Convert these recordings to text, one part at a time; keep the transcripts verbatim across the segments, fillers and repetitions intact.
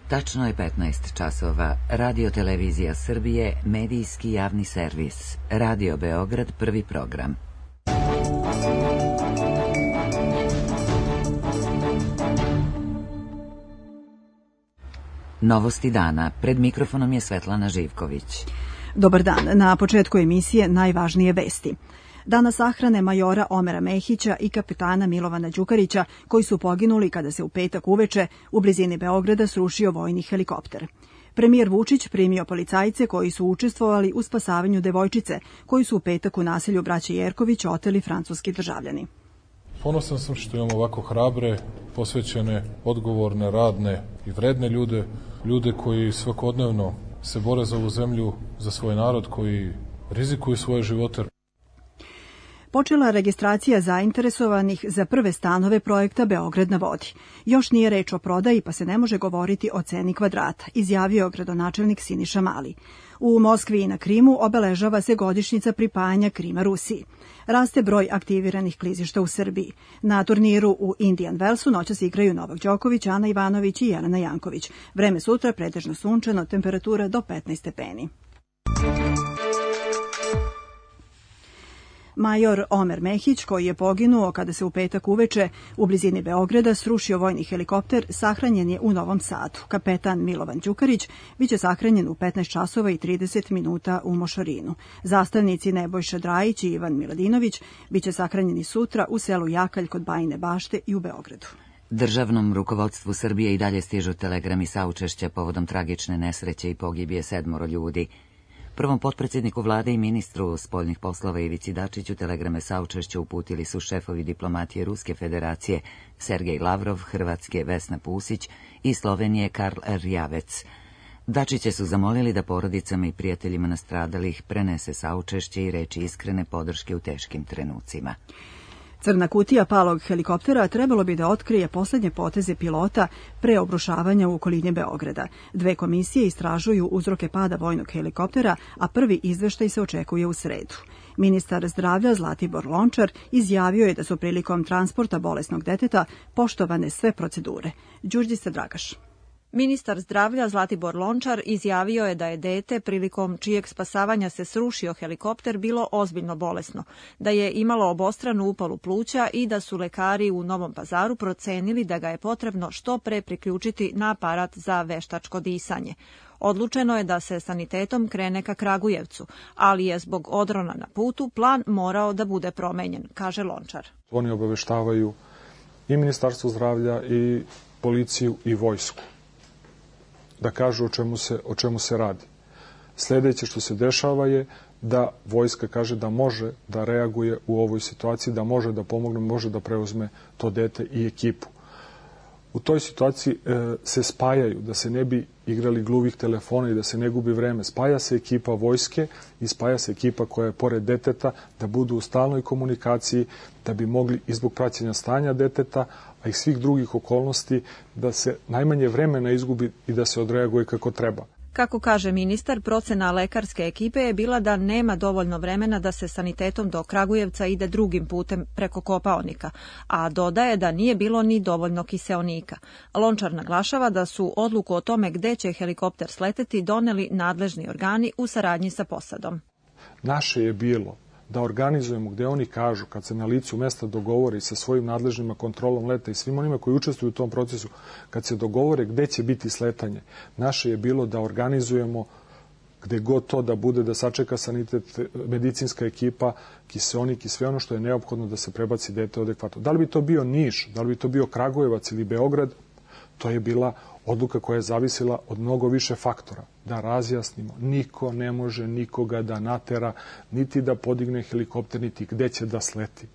Tačno je petnaest časova. Radio Televizija Srbije, medijski javni servis. Radio Beograd, prvi program. Novosti dana. Pred mikrofonom je Svetlana Živković. Dobar dan. Na početku emisije najvažnije vesti. Danas sahrane majora Omera Mehića i kapetana Milovana Đukarića, koji su poginuli kada se u petak uveče u blizini Beograda srušio vojni helikopter. Premijer Vučić primio policajce koji su učestvovali u spasavanju devojčice, koji su u petak u naselju braće Jerković oteli francuski državljani. Ponosan sam što imamo ovako hrabre, posvećene, odgovorne, radne i vredne ljude, ljude koji svakodnevno se bore za ovu zemlju, za svoj narod, koji rizikuju svoje živote. Počela registracija zainteresovanih za prve stanove projekta Beograd na vodi. Još nije reč o prodaji, pa se ne može govoriti o ceni kvadrata, izjavio gradonačelnik Siniša Mali. U Moskvi i na Krimu obeležava se godišnjica pripajanja Krima Rusiji. Raste broj aktiviranih klizišta u Srbiji. Na turniru u Indian Wellsu noćas igraju Novak Đoković, Ana Ivanović i Jelena Janković. Vreme sutra pretežno sunčano, temperatura do petnaest stepeni. Major Omer Mehić, koji je poginuo kada se u petak uveče u blizini Beograda srušio vojni helikopter, sahranjen je u Novom Sadu. Kapetan Milovan Đukarić biće sahranjen u petnaest časova i trideset minuta u Mošorinu. Zastavnici Nebojša Drajić i Ivan Miladinović biće sahranjeni sutra u selu Jakalj kod Bajine Bašte i u Beogradu. Državnom rukovodstvu Srbije i dalje stižu telegrami saučešća povodom tragične nesreće i pogibije sedmoro ljudi. Prvom potpredsjedniku vlade i ministru spoljnih poslova Ivici Dačiću telegrame saučešća uputili su šefovi diplomatije Ruske federacije Sergej Lavrov, Hrvatske Vesna Pusić i Slovenije Karl Rjavec. Dačiće su zamolili da porodicama i prijateljima nastradalih prenese saučešće i reči iskrene podrške u teškim trenucima. Crna kutija palog helikoptera trebalo bi da otkrije poslednje poteze pilota pre obrušavanja u okolini Beograda. Dve komisije istražuju uzroke pada vojnog helikoptera, a prvi izveštaj se očekuje u sredu. Ministar zdravlja Zlatibor Lončar izjavio je da su prilikom transporta bolesnog deteta poštovane sve procedure. Đurđica Dragaš. Ministar zdravlja Zlatibor Lončar izjavio je da je dete prilikom čijeg spasavanja se srušio helikopter bilo ozbiljno bolesno, da je imalo obostranu upalu pluća i da su lekari u Novom Pazaru procenili da ga je potrebno što pre priključiti na aparat za veštačko disanje. Odlučeno je da se sanitetom krene ka Kragujevcu, ali je zbog odrona na putu plan morao da bude promenjen, kaže Lončar. Oni obaveštavaju i Ministarstvo zdravlja i policiju i vojsku da kažu o čemu se, o čemu se radi. Sljedeće što se dešava je da vojska kaže da može da reaguje u ovoj situaciji, da može da pomogne, može da preuzme to dete i ekipu. U toj situaciji e, se spajaju, da se ne bi igrali gluvih telefona i da se ne gubi vreme. Spaja se ekipa vojske i spaja se ekipa koja je pored deteta, da budu u stalnoj komunikaciji, da bi mogli i zbog praćenja stanja deteta, a i svih drugih okolnosti, da se najmanje vremena izgubi i da se odreaguje kako treba. Kako kaže ministar, procena lekarske ekipe je bila da nema dovoljno vremena da se sanitetom do Kragujevca ide drugim putem preko Kopaonika, a dodaje da nije bilo ni dovoljno kiseonika. Lončar naglašava da su odluku o tome gde će helikopter sleteti doneli nadležni organi u saradnji sa posadom. Naše je bilo da organizujemo gde oni kažu, kad se na licu mesta dogovore sa svojim nadležnima kontrolom leta i svim onima koji učestvuju u tom procesu, kad se dogovore gde će biti sletanje, naše je bilo da organizujemo gde god to da bude, da sačeka sanitet, medicinska ekipa, kiseonik i sve ono što je neophodno da se prebaci dete adekvatno. Da li bi to bio Niš, da li bi to bio Kragujevac ili Beograd, to je bila odluka koja je zavisila od mnogo više faktora. Da razjasnimo, niko ne može nikoga da natera, niti da podigne helikopter, niti gde će da sleti.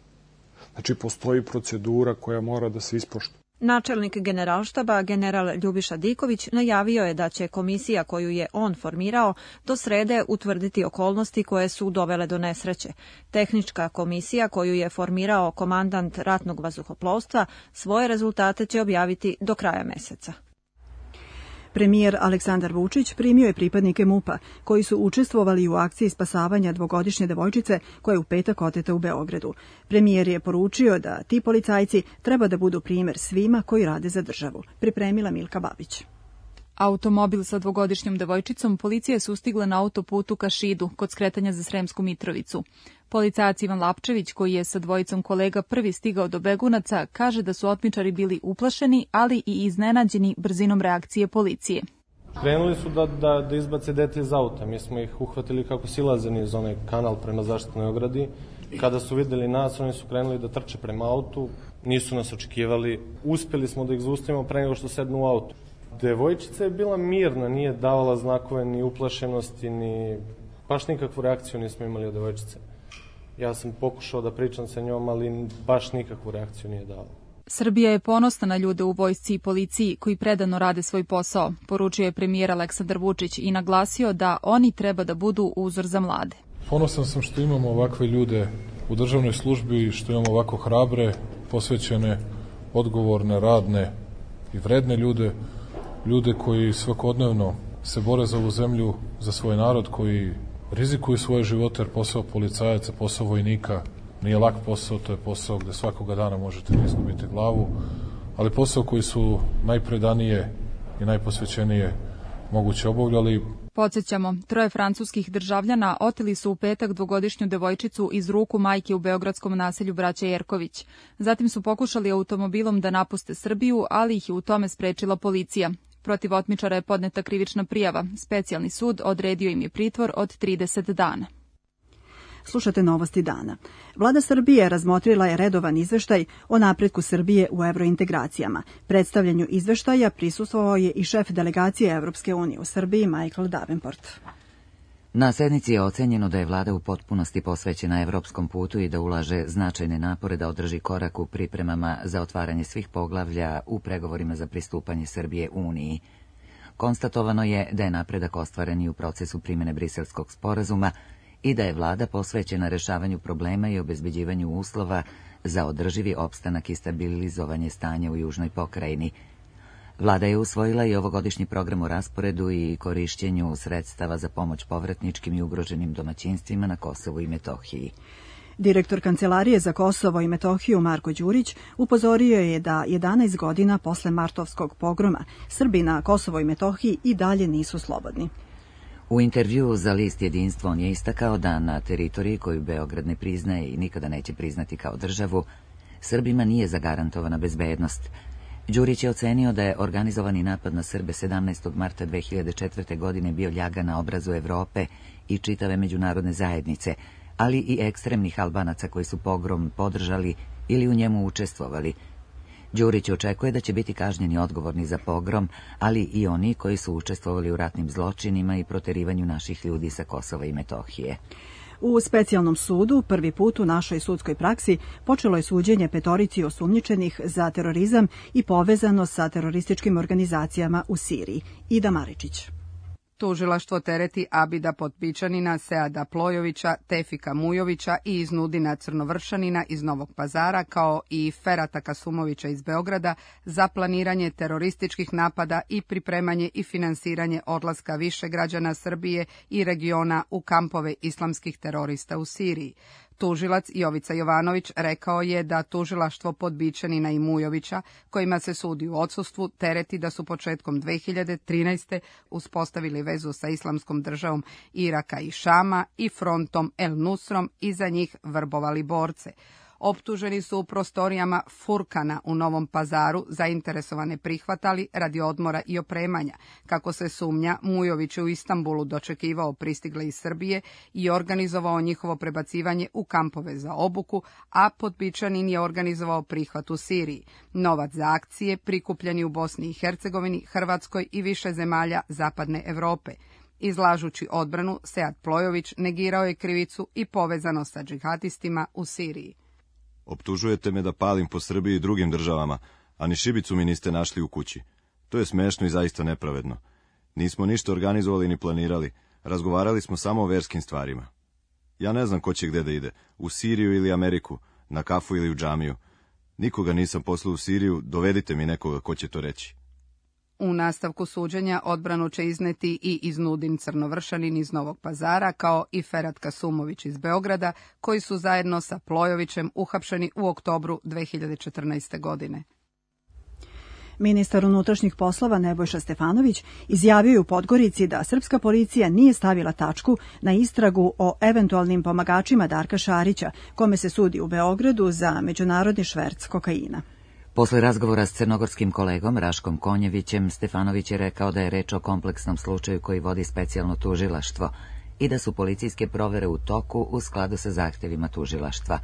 Znači, postoji procedura koja mora da se ispoštuje. Načelnik Generalštaba, general Ljubiša Diković, najavio je da će komisija koju je on formirao do srede utvrditi okolnosti koje su dovele do nesreće. Tehnička komisija koju je formirao komandant ratnog vazduhoplovstva svoje rezultate će objaviti do kraja meseca. Premijer Aleksandar Vučić primio je pripadnike MUP-a koji su učestvovali u akciji spasavanja dvogodišnje devojčice koja je u petak oteta u Beogradu. Premijer je poručio da ti policajci treba da budu primer svima koji rade za državu. Pripremila Milka Babić. Automobil sa dvogodišnjom devojčicom policija je sustigla na autoputu ka Šidu, kod skretanja za Sremsku Mitrovicu. Policajac Ivan Lapčević, koji je sa dvojicom kolega prvi stigao do Begunaca, kaže da su otmičari bili uplašeni, ali i iznenađeni brzinom reakcije policije. Krenuli su da, da, da izbace dete iz auta. Mi smo ih uhvatili kako silaze niz onaj kanal prema zaštitnoj ogradi. Kada su videli nas, oni su krenuli da trče prema autu. Nisu nas očekivali. Uspjeli smo da ih zaustavimo pre nego što sednu u auto. Devojčica je bila mirna, nije davala znakove ni uplašenosti, ni baš nikakvu reakciju nismo imali od devojčice. Ja sam pokušao da pričam sa njom, ali baš nikakvu reakciju nije dala. Srbija je ponosna na ljude u vojsci i policiji koji predano rade svoj posao, poručio je premijer Aleksandar Vučić i naglasio da oni treba da budu uzor za mlade. Ponosan sam što imamo ovakve ljude u državnoj službi i što imamo ovako hrabre, posvećene, odgovorne, radne i vredne ljude, ljude koji svakodnevno se bore za ovu zemlju, za svoj narod, koji rizikuju svoje živote, jer posao policajaca, posao vojnika nije lak posao, to je posao gde svakoga dana možete da izgubite glavu, ali posao koji su najpredanije i najposvećenije moguće obavljali. Podsjećamo, troje francuskih državljana oteli su u petak dvogodišnju devojčicu iz ruku majke u beogradskom naselju Braća Jerković. Zatim su pokušali automobilom da napuste Srbiju, ali ih je u tome sprečila policija. Protiv otmičara je podneta krivična prijava. Specijalni sud odredio im je pritvor od trideset dana. Slušate novosti dana. Vlada Srbije razmotrila je redovan izveštaj o napretku Srbije u evrointegracijama. Predstavljanju izveštaja prisustvovao je i šef delegacije Evropske unije u Srbiji Michael Davenport. Na sednici je ocenjeno da je vlada u potpunosti posvećena evropskom putu i da ulaže značajne napore da održi korak u pripremama za otvaranje svih poglavlja u pregovorima za pristupanje Srbije Uniji. Konstatovano je da je napredak ostvaren i u procesu primjene Briselskog sporazuma i da je vlada posvećena rešavanju problema i obezbeđivanju uslova za održivi opstanak i stabilizovanje stanja u južnoj pokrajini. Vlada je usvojila i ovogodišnji program o rasporedu i korišćenju sredstava za pomoć povratničkim i ugroženim domaćinstvima na Kosovu i Metohiji. Direktor Kancelarije za Kosovo i Metohiju Marko Đurić upozorio je da jedanaest godina posle martovskog pogroma Srbi na Kosovo i Metohiji i dalje nisu slobodni. U intervjuu za list Jedinstvo on je istakao da na teritoriji koju Beograd ne priznaje i nikada neće priznati kao državu, Srbima nije zagarantovana bezbednost. Đurić je ocenio da je organizovani napad na Srbe sedamnaestog marta dve hiljade četvrte. godine bio ljaga na obrazu Evrope i čitave međunarodne zajednice, ali i ekstremnih Albanaca koji su pogrom podržali ili u njemu učestvovali. Đurić očekuje da će biti kažnjeni odgovorni za pogrom, ali i oni koji su učestvovali u ratnim zločinima i proterivanju naših ljudi sa Kosova i Metohije. U specijalnom sudu prvi put u našoj sudskoj praksi počelo je suđenje petorici osumnjičenih za terorizam i povezano sa terorističkim organizacijama u Siriji. Ida Maričić. Tužilaštvo tereti Abida Potpičanina, Seada Plojovića, Tefika Mujovića i Iznudina Crnovršanina iz Novog Pazara, kao i Ferata Kasumovića iz Beograda za planiranje terorističkih napada i pripremanje i finansiranje odlaska više građana Srbije i regiona u kampove islamskih terorista u Siriji. Tužilac Jovica Jovanović rekao je da tužilaštvo Podbičanina i Mujovića, kojima se sudi u odsustvu, tereti da su početkom dve hiljade trinaeste. uspostavili vezu sa islamskom državom Iraka i Šama i frontom El Nusrom i za njih vrbovali borce. Optuženi su u prostorijama Furkana u Novom Pazaru zainteresovane prihvatali radi odmora i opremanja. Kako se sumnja, Mujović je u Istanbulu dočekivao pristigle iz Srbije i organizovao njihovo prebacivanje u kampove za obuku, a Potpičanin je organizovao prihvat u Siriji. Novac za akcije prikupljeni u Bosni i Hercegovini, Hrvatskoj i više zemalja Zapadne Evrope. Izlažući odbranu, Sead Plojović negirao je krivicu i povezano sa džihadistima u Siriji. Optužujete me da palim po Srbiji i drugim državama, a ni šibicu mi niste našli u kući. To je smešno i zaista nepravedno. Nismo ništa organizovali ni planirali, razgovarali smo samo o verskim stvarima. Ja ne znam ko će gde da ide, u Siriju ili Ameriku, na kafu ili u džamiju. Nikoga nisam poslao u Siriju, dovedite mi nekoga ko će to reći. U nastavku suđenja odbranu će izneti i Iznudin Crnovršanin iz Novog Pazara, kao i Ferat Kasumović iz Beograda, koji su zajedno sa Plojovićem uhapšeni u oktobru dve hiljade četrnaeste. godine. Ministar unutrašnjih poslova Nebojša Stefanović izjavio je u Podgorici da srpska policija nije stavila tačku na istragu o eventualnim pomagačima Darka Šarića, kome se sudi u Beogradu za međunarodni šverc kokaina. Posle razgovora s crnogorskim kolegom Raškom Konjevićem, Stefanović je rekao da je reč o kompleksnom slučaju koji vodi specijalno tužilaštvo i da su policijske provere u toku u skladu sa zahtevima tužilaštva.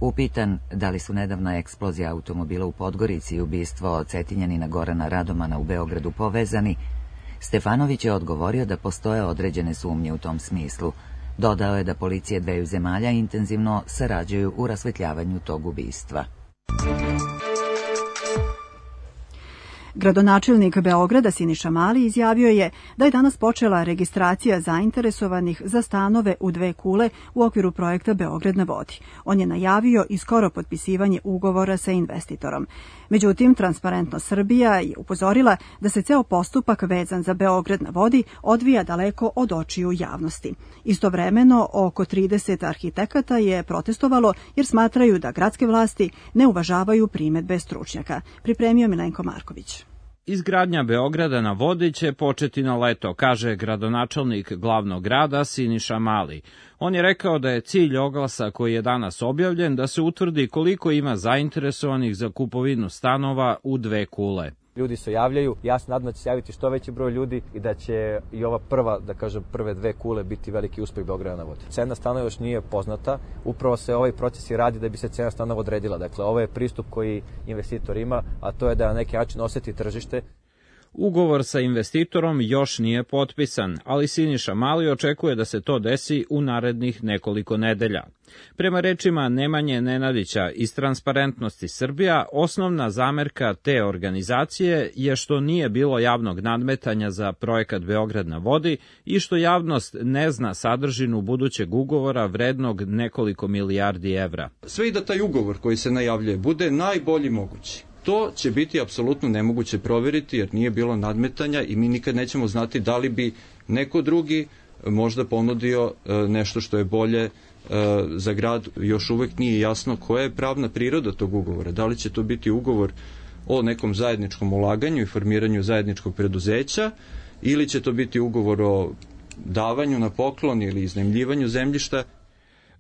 Upitan da li su nedavna eksplozija automobila u Podgorici i ubistvo Cetinjanina Gorana Radomana u Beogradu povezani, Stefanović je odgovorio da postoje određene sumnje u tom smislu. Dodao je da policije dveju zemalja intenzivno sarađuju u rasvetljavanju tog ubistva. Gradonačelnik Beograda Siniša Mali izjavio je da je danas počela registracija zainteresovanih za stanove u dve kule u okviru projekta Beograd na vodi. On je najavio i skoro potpisivanje ugovora sa investitorom. Međutim, Transparentno Srbija je upozorila da se ceo postupak vezan za Beograd na vodi odvija daleko od očiju javnosti. Istovremeno, oko trideset arhitekata je protestovalo jer smatraju da gradske vlasti ne uvažavaju primedbe stručnjaka. Pripremio Milenko Marković. Izgradnja Beograda na vodi će početi na leto, kaže gradonačelnik glavnog grada Siniša Mali. On je rekao da je cilj oglasa koji je danas objavljen da se utvrdi koliko ima zainteresovanih za kupovinu stanova u dve kule. Ljudi se javljaju, ja se nadam da će se javiti što veći broj ljudi i da će i ova prva, da kažem, prve dve kule biti veliki uspeh Beograda na vodi. Cena stanova još nije poznata, upravo se ovaj proces i radi da bi se cena stanova odredila. Dakle, ovo je pristup koji investitor ima, a to je da na neki način oseti tržište. Ugovor sa investitorom još nije potpisan, ali Siniša Mali očekuje da se to desi u narednih nekoliko nedelja. Prema rečima Nemanje Nenadića iz Transparentnosti Srbija, osnovna zamerka te organizacije je što nije bilo javnog nadmetanja za projekat Beograd na vodi i što javnost ne zna sadržinu budućeg ugovora vrednog nekoliko milijardi evra. Sve i da taj ugovor koji se najavljuje bude najbolji mogući. To će biti apsolutno nemoguće proveriti jer nije bilo nadmetanja i mi nikad nećemo znati da li bi neko drugi možda ponudio nešto što je bolje za grad. Još uvek nije jasno koja je pravna priroda tog ugovora. Da li će to biti ugovor o nekom zajedničkom ulaganju i formiranju zajedničkog preduzeća ili će to biti ugovor o davanju na poklon ili iznajmljivanju zemljišta.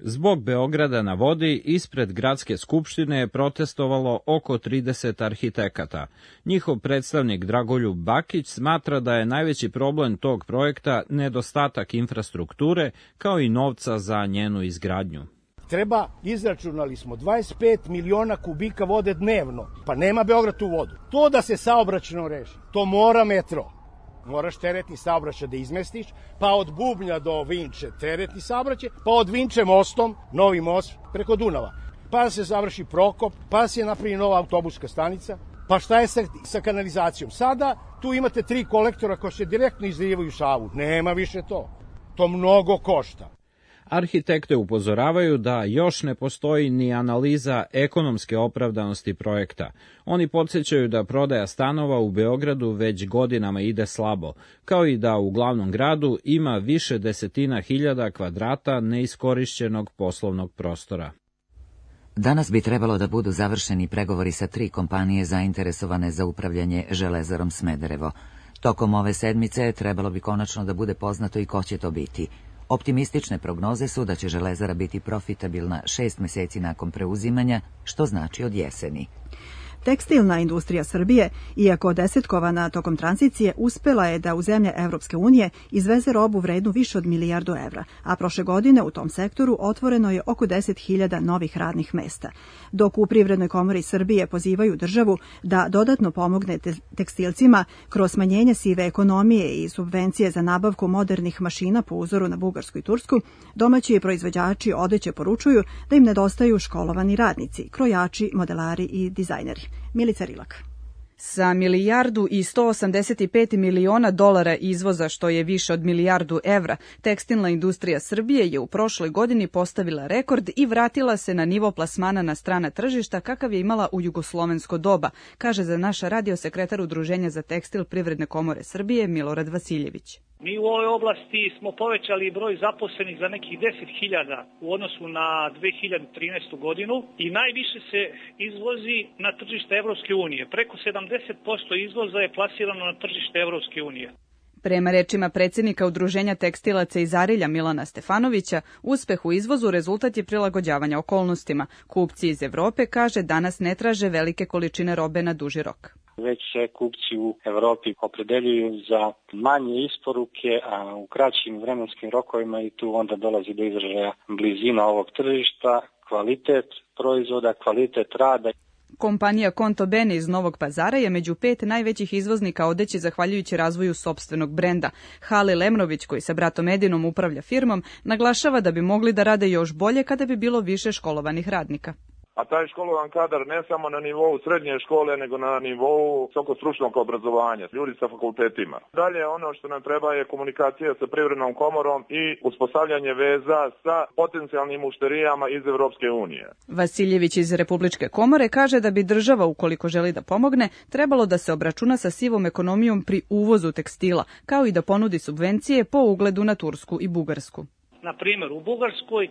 Zbog Beograda na vodi ispred Gradske skupštine je protestovalo oko trideset arhitekata. Njihov predstavnik Dragoljub Bakić smatra da je najveći problem tog projekta nedostatak infrastrukture kao i novca za njenu izgradnju. Treba, izračunali smo, dvadeset pet miliona kubika vode dnevno, pa nema Beograd tu vodu. To da se saobraćajno reši, to mora metro. Moraš teretni saobraćaj da izmestiš, pa od Bubnja do Vinče teretni saobraćaj, pa od Vinče mostom, novi most preko Dunava. Pa da se završi Prokop, pa da se napravi nova autobuska stanica, pa šta je sa, sa kanalizacijom? Sada tu imate tri kolektora koji se direktno izlijevaju Savu. Nema više to. To mnogo košta. Arhitekte upozoravaju da još ne postoji ni analiza ekonomske opravdanosti projekta. Oni podsjećaju da prodaja stanova u Beogradu već godinama ide slabo, kao i da u glavnom gradu ima više desetina hiljada kvadrata neiskorišćenog poslovnog prostora. Danas bi trebalo da budu završeni pregovori sa tri kompanije zainteresovane za upravljanje Železarom Smederevo. Tokom ove sedmice trebalo bi konačno da bude poznato i ko će to biti. Optimistične prognoze su da će Železara biti profitabilna šest meseci nakon preuzimanja, što znači od jeseni. Tekstilna industrija Srbije, iako desetkovana tokom tranzicije, uspela je da u zemlje Evropske unije izveze robu vrednu više od milijardu evra, a prošle godine u tom sektoru otvoreno je oko deset hiljada novih radnih mesta. Dok u Privrednoj komori Srbije pozivaju državu da dodatno pomogne tekstilcima kroz smanjenje sive ekonomije i subvencije za nabavku modernih mašina po uzoru na Bugarsku i Tursku, domaći proizvođači odeće poručuju da im nedostaju školovani radnici, krojači, modelari i dizajneri. Milica Rilak. Sa milijardu i sto osamdeset pet miliona dolara izvoza, što je više od milijardu evra, tekstilna industrija Srbije je u prošloj godini postavila rekord i vratila se na nivo plasmana na strana tržišta kakav je imala u jugoslovensko doba, kaže za naš radio sekretar Udruženja za tekstil Privredne komore Srbije Milorad Vasiljević. Mi u ovoj oblasti smo povećali broj zaposlenih za nekih deset hiljada u odnosu na dve hiljade trinaestu godinu i najviše se izvozi na tržište Evropske unije. Preko sedamdeset posto izvoza je plasirano na tržište Evropske unije. Prema rečima predsjednika Udruženja tekstilaca iz Arilja Milana Stefanovića, uspeh u izvozu rezultat je prilagođavanja okolnostima. Kupci iz Evrope, kaže, danas ne traže velike količine robe na duži rok. Već se kupci u Evropi opredeljuju za manje isporuke, a u kraćim vremenskim rokovima i tu onda dolazi do izražaja blizina ovog tržišta, kvalitet proizvoda, kvalitet rada. Kompanija Konto Bene iz Novog Pazara je među pet najvećih izvoznika odeće zahvaljujući razvoju sopstvenog brenda. Halil Emrović, koji sa bratom Edinom upravlja firmom, naglašava da bi mogli da rade još bolje kada bi bilo više školovanih radnika. A taj školovan kadar ne samo na nivou srednje škole, nego na nivou visokostručnog obrazovanja, ljudi sa fakultetima. Dalje, ono što nam treba je komunikacija sa Privrednom komorom i uspostavljanje veza sa potencijalnim mušterijama iz Evropske unije. Vasiljević iz Republičke komore kaže da bi država, ukoliko želi da pomogne, trebalo da se obračuna sa sivom ekonomijom pri uvozu tekstila, kao i da ponudi subvencije po ugledu na Tursku i Bugarsku. Na primjer, u Bugarskoj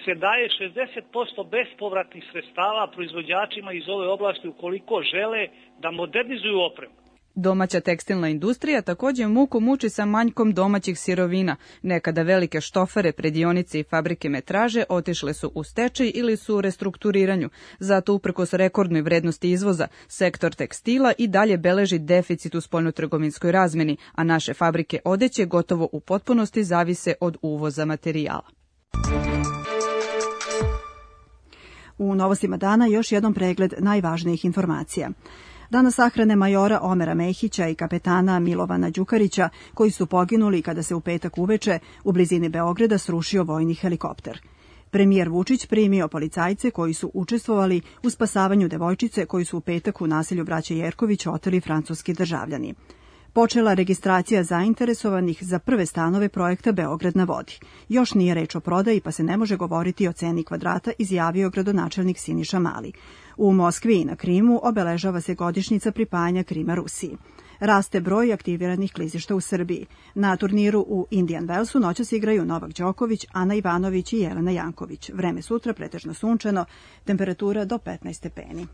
se daje šezdeset posto bespovratnih sredstava proizvođačima iz ove oblasti ukoliko žele da modernizuju opremu. Domaća tekstilna industrija također muku muči sa manjkom domaćih sirovina. Nekada velike štofere, predionice i fabrike metraže otišle su u stečaj ili su u restrukturiranju. Zato uprkos rekordnoj vrednosti izvoza, sektor tekstila i dalje beleži deficit u spoljnotrgovinskoj razmeni, a naše fabrike odeće gotovo u potpunosti zavise od uvoza materijala. U novostima dana još jedan pregled najvažnijih informacija. Danas sahrane majora Omera Mehića i kapetana Milovana Đukarića, koji su poginuli kada se u petak uveče u blizini Beograda srušio vojni helikopter. Premijer Vučić primio policajce koji su učestvovali u spasavanju devojčice koju su u petak u naselju braće Jerković oteli francuski državljani. Počela registracija zainteresovanih za prve stanove projekta Beograd na vodi. Još nije reč o prodaji, pa se ne može govoriti o ceni kvadrata, izjavio gradonačelnik Siniša Mali. U Moskvi i na Krimu obeležava se godišnjica pripajanja Krima Rusiji. Raste broj aktiviranih klizišta u Srbiji. Na turniru u Indian Wellsu noćas igraju Novak Đoković, Ana Ivanović i Jelena Janković. Vreme sutra pretežno sunčano, temperatura do petnaest stepeni.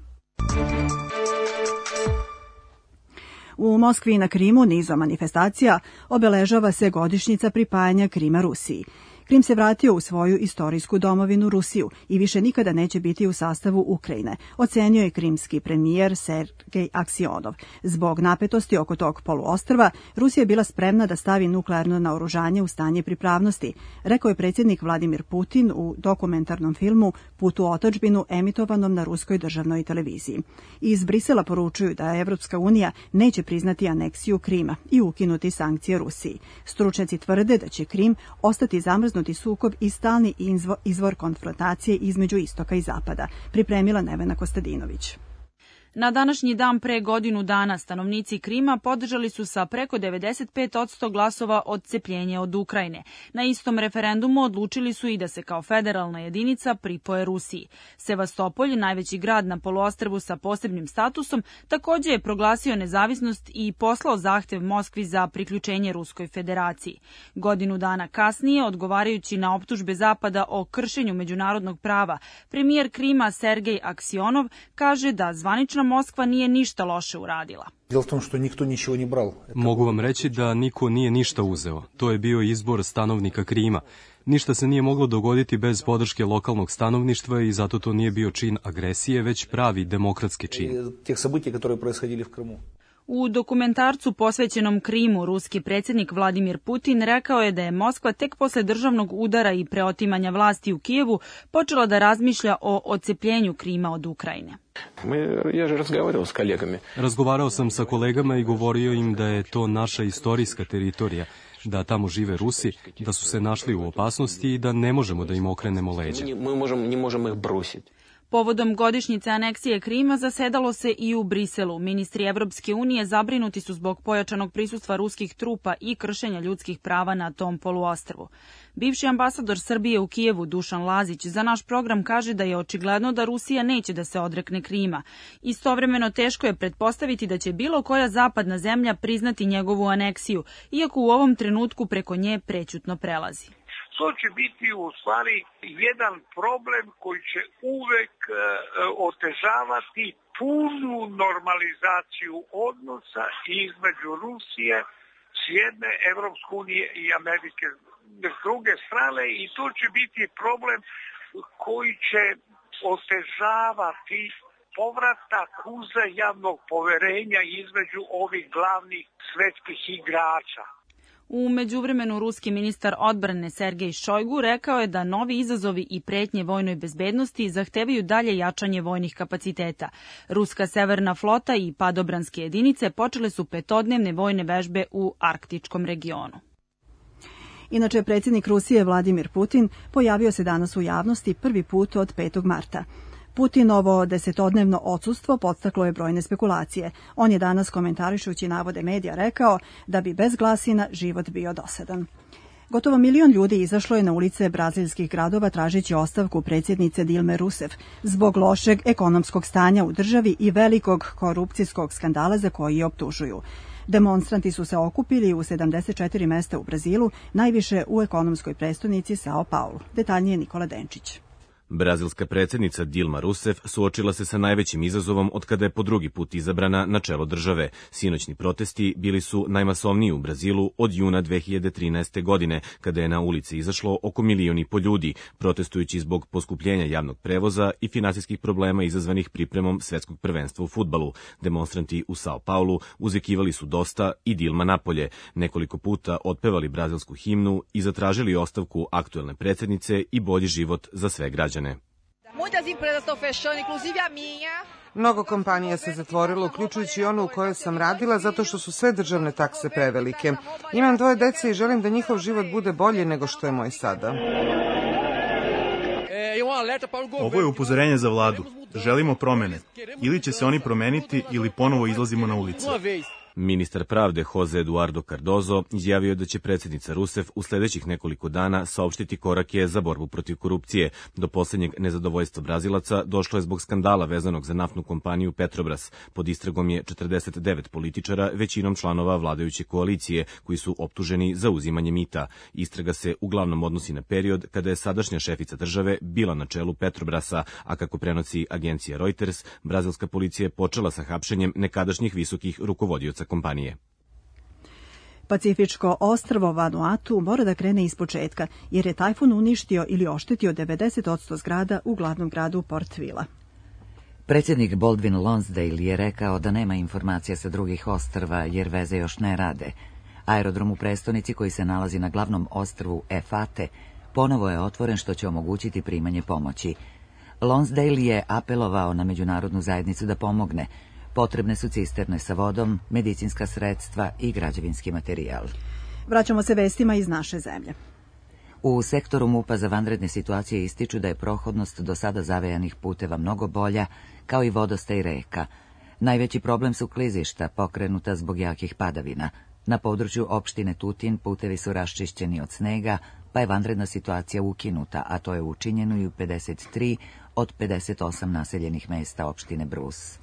U Moskvi i na Krimu nizom manifestacija obeležava se godišnjica pripajanja Krima Rusiji. Krim se vratio u svoju istorijsku domovinu Rusiju i više nikada neće biti u sastavu Ukrajine, ocenio je krimski premijer Sergej Aksionov. Zbog napetosti oko tog poluostrva, Rusija je bila spremna da stavi nuklearno naoružanje u stanje pripravnosti, rekao je predsjednik Vladimir Putin u dokumentarnom filmu Put u otadžbinu emitovanom na ruskoj državnoj televiziji. Iz Brisela poručuju da Evropska unija neće priznati aneksiju Krima i ukinuti sankcije Rusiji. Stručnjaci tvrde da će Krim ostati zamrznuti sukob i stalni izvor konfrontacije između istoka i zapada, pripremila Nevena Kostadinović. Na današnji dan pre godinu dana stanovnici Krima podržali su sa preko devedeset pet posto glasova odcepljenje od Ukrajine. Na istom referendumu odlučili su i da se kao federalna jedinica pripoje Rusiji. Sevastopolj, najveći grad na poluostrvu sa posebnim statusom, također je proglasio nezavisnost i poslao zahtev Moskvi za priključenje Ruskoj federaciji. Godinu dana kasnije, odgovarajući na optužbe Zapada o kršenju međunarodnog prava, premijer Krima Sergej Aksionov kaže da zvanična Moskva nije ništa loše uradila. Mogu vam reći da niko nije ništa uzeo. To je bio izbor stanovnika Krima. Ništa se nije moglo dogoditi bez podrške lokalnog stanovništva i zato to nije bio čin agresije, već pravi demokratski čin. U dokumentarcu posvećenom Krimu ruski predsjednik Vladimir Putin rekao je da je Moskva tek posle državnog udara i preotimanja vlasti u Kijevu počela da razmišlja o odcepljenju Krima od Ukrajine. Razgovarao sam sa kolegama i govorio im da je to naša istorijska teritorija, da tamo žive Rusi, da su se našli u opasnosti i da ne možemo da im okrenemo leđa. Povodom godišnjice aneksije Krima zasedalo se i u Briselu. Ministri Evropske unije zabrinuti su zbog pojačanog prisustva ruskih trupa i kršenja ljudskih prava na tom poluostrvu. Bivši ambasador Srbije u Kijevu Dušan Lazić za naš program kaže da je očigledno da Rusija neće da se odrekne Krima. Istovremeno teško je pretpostaviti da će bilo koja zapadna zemlja priznati njegovu aneksiju, iako u ovom trenutku preko nje prećutno prelazi. To će biti u stvari jedan problem koji će uvek e, otežavati punu normalizaciju odnosa između Rusije s jedne, Evropske unije i Amerike s druge strane, i to će biti problem koji će otežavati povratak uzajamnog poverenja između ovih glavnih svetskih igrača. U međuvremenu ruski ministar odbrane Sergej Šojgu rekao je da novi izazovi i pretnje vojnoj bezbednosti zahtevaju dalje jačanje vojnih kapaciteta. Ruska severna flota i padobranske jedinice počele su petodnevne vojne vežbe u arktičkom regionu. Inače, predsjednik Rusije Vladimir Putin pojavio se danas u javnosti prvi put od petog marta. Putinovo desetodnevno odsustvo podstaklo je brojne spekulacije. On je danas, komentarišući navode medija, rekao da bi bez glasina život bio dosadan. Gotovo milion ljudi izašlo je na ulice brazilskih gradova tražeći ostavku predsjednice Dilme Rousseff zbog lošeg ekonomskog stanja u državi i velikog korupcijskog skandala za koji je optužuju. Demonstranti su se okupili u sedamdeset četiri mesta u Brazilu, najviše u ekonomskoj prestonici Sao Paulo. Detaljnije Nikola Denčić. Brazilska predsjednica Dilma Rousseff suočila se sa najvećim izazovom od kada je po drugi put izabrana na čelo države. Sinoćni protesti bili su najmasovniji u Brazilu od juna dve hiljade trinaeste. godine, kada je na ulice izašlo oko milion i po ljudi, protestujući zbog poskupljenja javnog prevoza i finansijskih problema izazvanih pripremom svetskog prvenstva u fudbalu. Demonstranti u Sao Paulu uzvikivali su dosta i Dilma napolje, nekoliko puta otpevali brazilsku himnu i zatražili ostavku aktuelne predsjednice i bolji život za sve građane. Mnogo kompanija se zatvorilo, uključujući i onu u kojoj sam radila, zato što su sve državne takse prevelike. Imam dvoje dece i želim da njihov život bude bolji nego što je moj sada. Ovo je upozorenje za vladu. Želimo promene. Ili će se oni promeniti ili ponovo izlazimo na ulice. Ministar pravde Jose Eduardo Cardozo izjavio da će predsjednica Rousseff u sljedećih nekoliko dana saopštiti korake za borbu protiv korupcije. Do posljednjeg nezadovoljstva Brazilaca došlo je zbog skandala vezanog za naftnu kompaniju Petrobras. Pod istragom je četrdeset devet političara, većinom članova vladajuće koalicije, koji su optuženi za uzimanje mita. Istraga se uglavnom odnosi na period kada je sadašnja šefica države bila na čelu Petrobrasa, a kako prenosi agencija Reuters, brazilska policija je počela sa hapšenjem nekadašnjih visokih rukovodioca kompanije. Pacifičko ostrvo Vanuatu mora da krene iz početka, jer je tajfun uništio ili oštetio devedeset posto zgrada u glavnom gradu Port Vila. Predsjednik Baldwin Lonsdale je rekao da nema informacija sa drugih ostrva jer veze još ne rade. Aerodrom u prestonici, koji se nalazi na glavnom ostrvu Efate, ponovo je otvoren, što će omogućiti primanje pomoći. Lonsdale je apelovao na međunarodnu zajednicu da pomogne. Potrebne su cisterne sa vodom, medicinska sredstva i građevinski materijal. Vraćamo se vestima iz naše zemlje. U sektoru MUP-a za vanredne situacije ističu da je prohodnost do sada zavejanih puteva mnogo bolja, kao i vodostaj reka. Najveći problem su klizišta, pokrenuta zbog jakih padavina. Na području opštine Tutin putevi su raščišćeni od snega, pa je vanredna situacija ukinuta, a to je učinjeno i u pedeset tri od pedeset osam naseljenih mesta opštine Brus.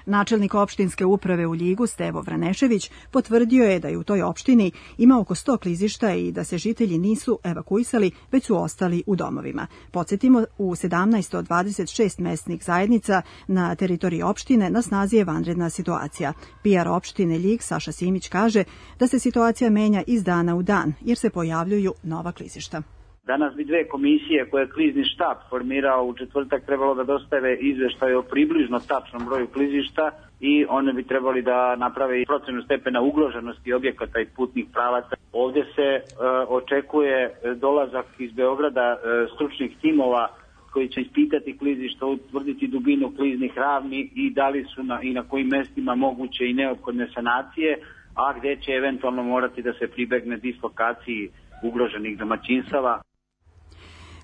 Načelnik opštinske uprave u Ljigu Stevo Vranešević potvrdio je da je u toj opštini ima oko sto klizišta i da se žitelji nisu evakuisali, već su ostali u domovima. Podsjetimo, u sedamnaest od dvadeset šest mesnih zajednica na teritoriji opštine na snazi je vanredna situacija. P R opštine Ljig Saša Simić kaže da se situacija menja iz dana u dan, jer se pojavljuju nova klizišta. Danas bi dve komisije koje je klizni štab formirao u četvrtak trebalo da dostave izveštaj o približno tačnom broju klizišta i one bi trebali da naprave i procenu stepena ugroženosti objekata i putnih pravaca. Ovdje se e, očekuje dolazak iz Beograda e, stručnih timova koji će ispitati klizišta, utvrditi dubinu kliznih ravni i da li su na, i na kojim mestima moguće i neophodne sanacije, a gdje će eventualno morati da se pribegne dislokaciji ugroženih domaćinstava.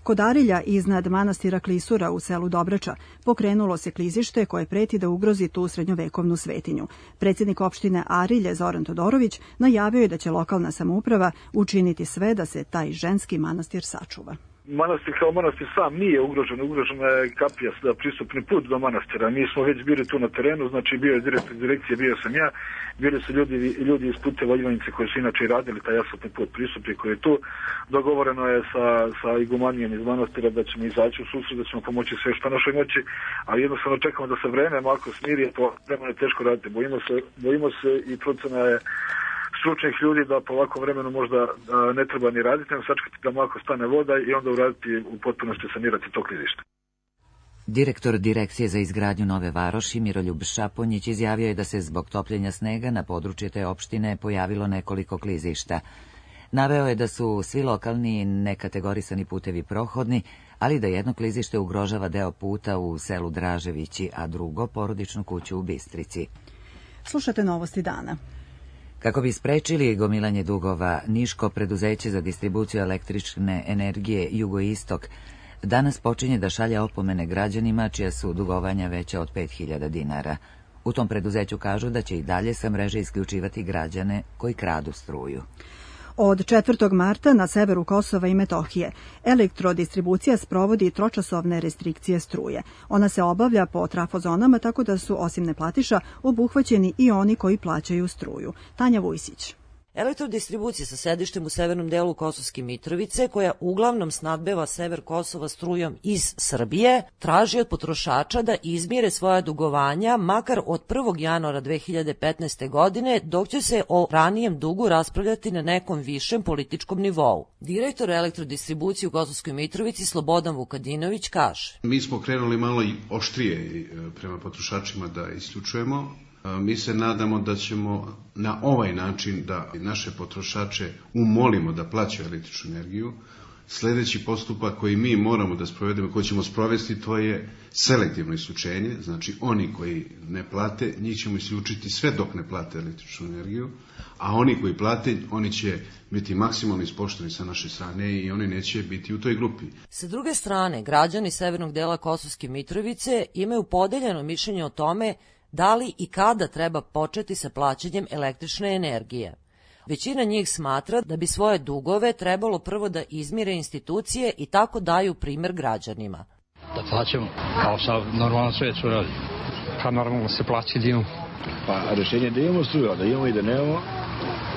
Kod Arilja iznad manastira Klisura u selu Dobrača pokrenulo se klizište koje preti da ugrozi tu srednjovekovnu svetinju. Predsjednik opštine Arilje Zoran Todorović najavio je da će lokalna samouprava učiniti sve da se taj ženski manastir sačuva. Manastir kao manastir sam nije ugrožen, ugrožena je kapija za pristupni put do manastira. Mi smo već bili tu na terenu, znači bio je direktor direkcije, bio sam ja, bili su ljudi, ljudi iz puteva Ivanice koji su inače radili taj asfaltni put pristupni koji je tu. Dogovoreno je sa, sa igumanijom iz manastira da ćemo izaći u susret, da ćemo pomoći sve što našoj moći, ali jednostavno čekamo da se vreme malo smiri, to vremena je teško raditi. Bojimo se, bojimo se i procena je stručnih ljudi da po ovakvom vremenu možda ne treba ni raditi, nego sačekati da malo stane voda i onda uraditi u potpunosti sanirati to klizište. Direktor Direkcije za izgradnju Nove Varoši Miroljub Šaponjić izjavio je da se zbog topljenja snega na području te opštine pojavilo nekoliko klizišta. Naveo je da su svi lokalni nekategorisani putevi prohodni, ali da jedno klizište ugrožava deo puta u selu Draževići, a drugo porodičnu kuću u Bistrici. Slušate novosti dana. Kako bi sprečili gomilanje dugova, Niško preduzeće za distribuciju električne energije Jugoistok danas počinje da šalje opomene građanima čija su dugovanja veća od pet hiljada dinara. U tom preduzeću kažu da će i dalje sa mreže isključivati građane koji kradu struju. Od četvrtog marta na severu Kosova i Metohije elektrodistribucija sprovodi tročasovne restrikcije struje. Ona se obavlja po trafozonama tako da su osim neplatiša obuhvaćeni i oni koji plaćaju struju. Tanja Vujsić. Elektrodistribucija sa sedištem u severnom delu Kosovske Mitrovice, koja uglavnom snadbeva sever Kosova strujom iz Srbije, traži od potrošača da izmire svoja dugovanja makar od prvog januara dve hiljade petnaeste. godine, dok će se o ranijem dugu raspravljati na nekom višem političkom nivou. Direktor elektrodistribucije u Kosovskoj Mitrovici Slobodan Vukadinović kaže: Mi smo krenuli malo i oštrije prema potrošačima da isključujemo. Mi se nadamo da ćemo na ovaj način da naše potrošače umolimo da plaćaju električnu energiju. Sljedeći postupak koji mi moramo da sprovedemo, koji ćemo sprovesti, to je selektivno isključenje. Znači oni koji ne plate, njih ćemo isključiti sve dok ne plate električnu energiju, a oni koji plate, oni će biti maksimalno ispoštovani sa naše strane i oni neće biti u toj grupi. Sa druge strane, građani severnog dela Kosovske Mitrovice imaju podeljeno mišljenje o tome da li i kada treba početi sa plaćanjem električne energije. Većina njih smatra da bi svoje dugove trebalo prvo da izmire institucije i tako daju primer građanima. Da plaćamo, kao sa normalno sve što radi. Kad normalno se plaći da imamo. Pa rešenje da imamo struju, da imamo i da nemamo,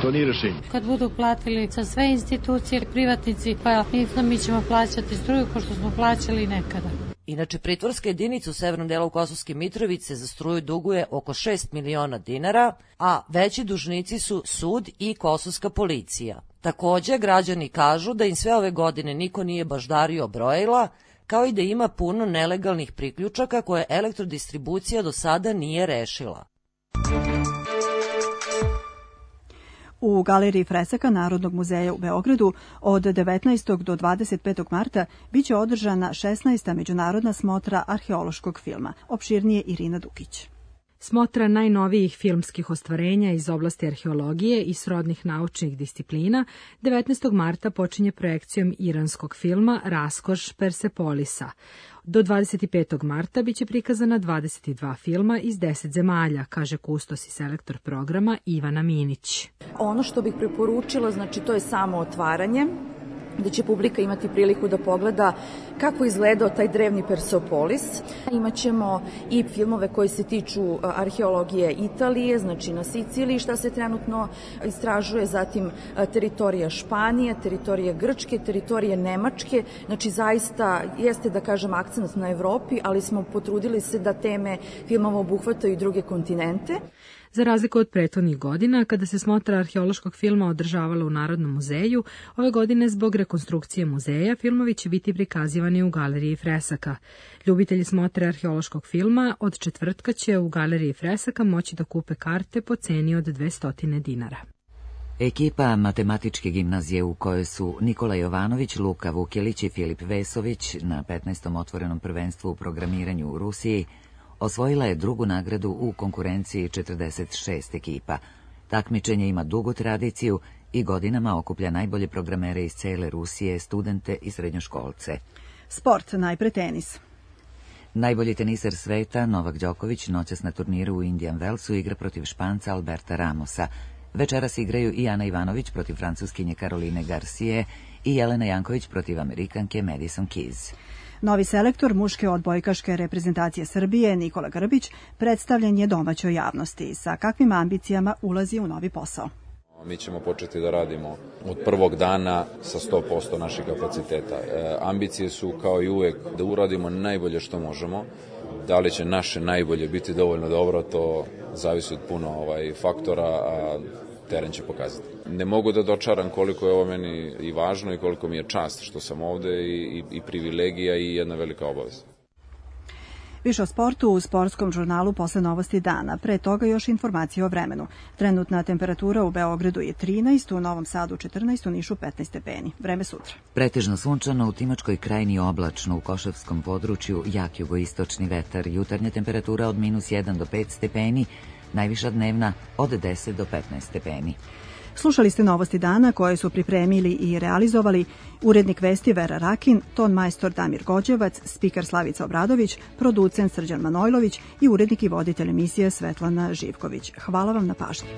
to nije rešenje. Kad budu platili sa sve institucije, privatnici, pa mi ćemo plaćati struju kao što smo plaćali nekada. Inače, pritvorska jedinica u severnom delu Kosovske Mitrovice za struju duguje oko šest miliona dinara, a veći dužnici su sud i kosovska policija. Takođe, građani kažu da im sve ove godine niko nije baždario brojila, kao i da ima puno nelegalnih priključaka koje elektrodistribucija do sada nije rešila. U Galeriji fresaka Narodnog muzeja u Beogradu od devetnaestog do dvadeset petog marta biće održana šesnaesta međunarodna smotra arheološkog filma. Opširnije Irina Dukić. Smotra najnovijih filmskih ostvarenja iz oblasti arheologije i srodnih naučnih disciplina devetnaestog marta počinje projekcijom iranskog filma Raskoš Persepolisa. Do dvadeset petog marta biće prikazana dvadeset dva filma iz deset zemalja, kaže kustos i selektor programa Ivana Minić. Ono što bih preporučila, znači to je samo otvaranje, da će publika imati priliku da pogleda kako izgledao taj drevni Persepolis. Imaćemo i filmove koji se tiču arheologije Italije, znači na Siciliji šta se trenutno istražuje, zatim teritorija Španije, teritorija Grčke, teritorije Nemačke, znači zaista jeste da kažem akcent na Evropi, ali smo potrudili se da teme filmova obuhvataju i druge kontinente. Za razliku od prethodnih godina, kada se smotra arheološkog filma održavala u Narodnom muzeju, ove godine zbog rekonstrukcije muzeja filmovi će biti prikazivani u Galeriji fresaka. Ljubitelji smotre arheološkog filma od četvrtka će u Galeriji fresaka moći da kupe karte po ceni od dvesta dinara. Ekipa Matematičke gimnazije u kojoj su Nikola Jovanović, Luka Vukjelić i Filip Vesović na petnaestom otvorenom prvenstvu u programiranju u Rusiji osvojila je drugu nagradu u konkurenciji četrdeset šest ekipa. Takmičenje ima dugu tradiciju i godinama okuplja najbolje programere iz cele Rusije, studente i srednjoškolce. Sport, najpre tenis. Najbolji teniser sveta, Novak Đoković, noćas na turniru u Indian Wellsu igra protiv Španca Alberta Ramosa. Večeras igraju i Ana Ivanović protiv Francuskinje Karoline Garcije i Jelena Janković protiv Amerikanke Madison Keys. Novi selektor muške odbojkaške reprezentacije Srbije, Nikola Grbić, predstavljen je domaćoj javnosti. Sa kakvim ambicijama ulazi u novi posao? Mi ćemo početi da radimo od prvog dana sa sto posto naših kapaciteta. E, ambicije su kao i uvek da uradimo najbolje što možemo. Da li će naše najbolje biti dovoljno dobro, to zavisi od puno ovaj, faktora, a teren će pokazati. Ne mogu da dočaram koliko je ovo meni i važno i koliko mi je čast što sam ovde i, i, i privilegija i jedna velika obaveza. Više o sportu u sportskom žurnalu posle novosti dana. Pre toga još informacije o vremenu. Trenutna temperatura u Beogradu je trinaest, u Novom Sadu četrnaest, u Nišu petnaest stepeni. Vreme sutra. Pretežno sunčano, u Timočkoj krajini oblačno, u Košavskom području jak jugoistočni vetar, jutarnja temperatura od minus jedan do pet stepeni, najviša dnevna od deset do petnaest stepeni. Slušali ste novosti dana koje su pripremili i realizovali urednik vesti Vera Rakin, ton majstor Damir Gođevac, spiker Slavica Obradović, producent Srđan Manojlović i urednik i voditelj emisije Svetlana Živković. Hvala vam na pažnji.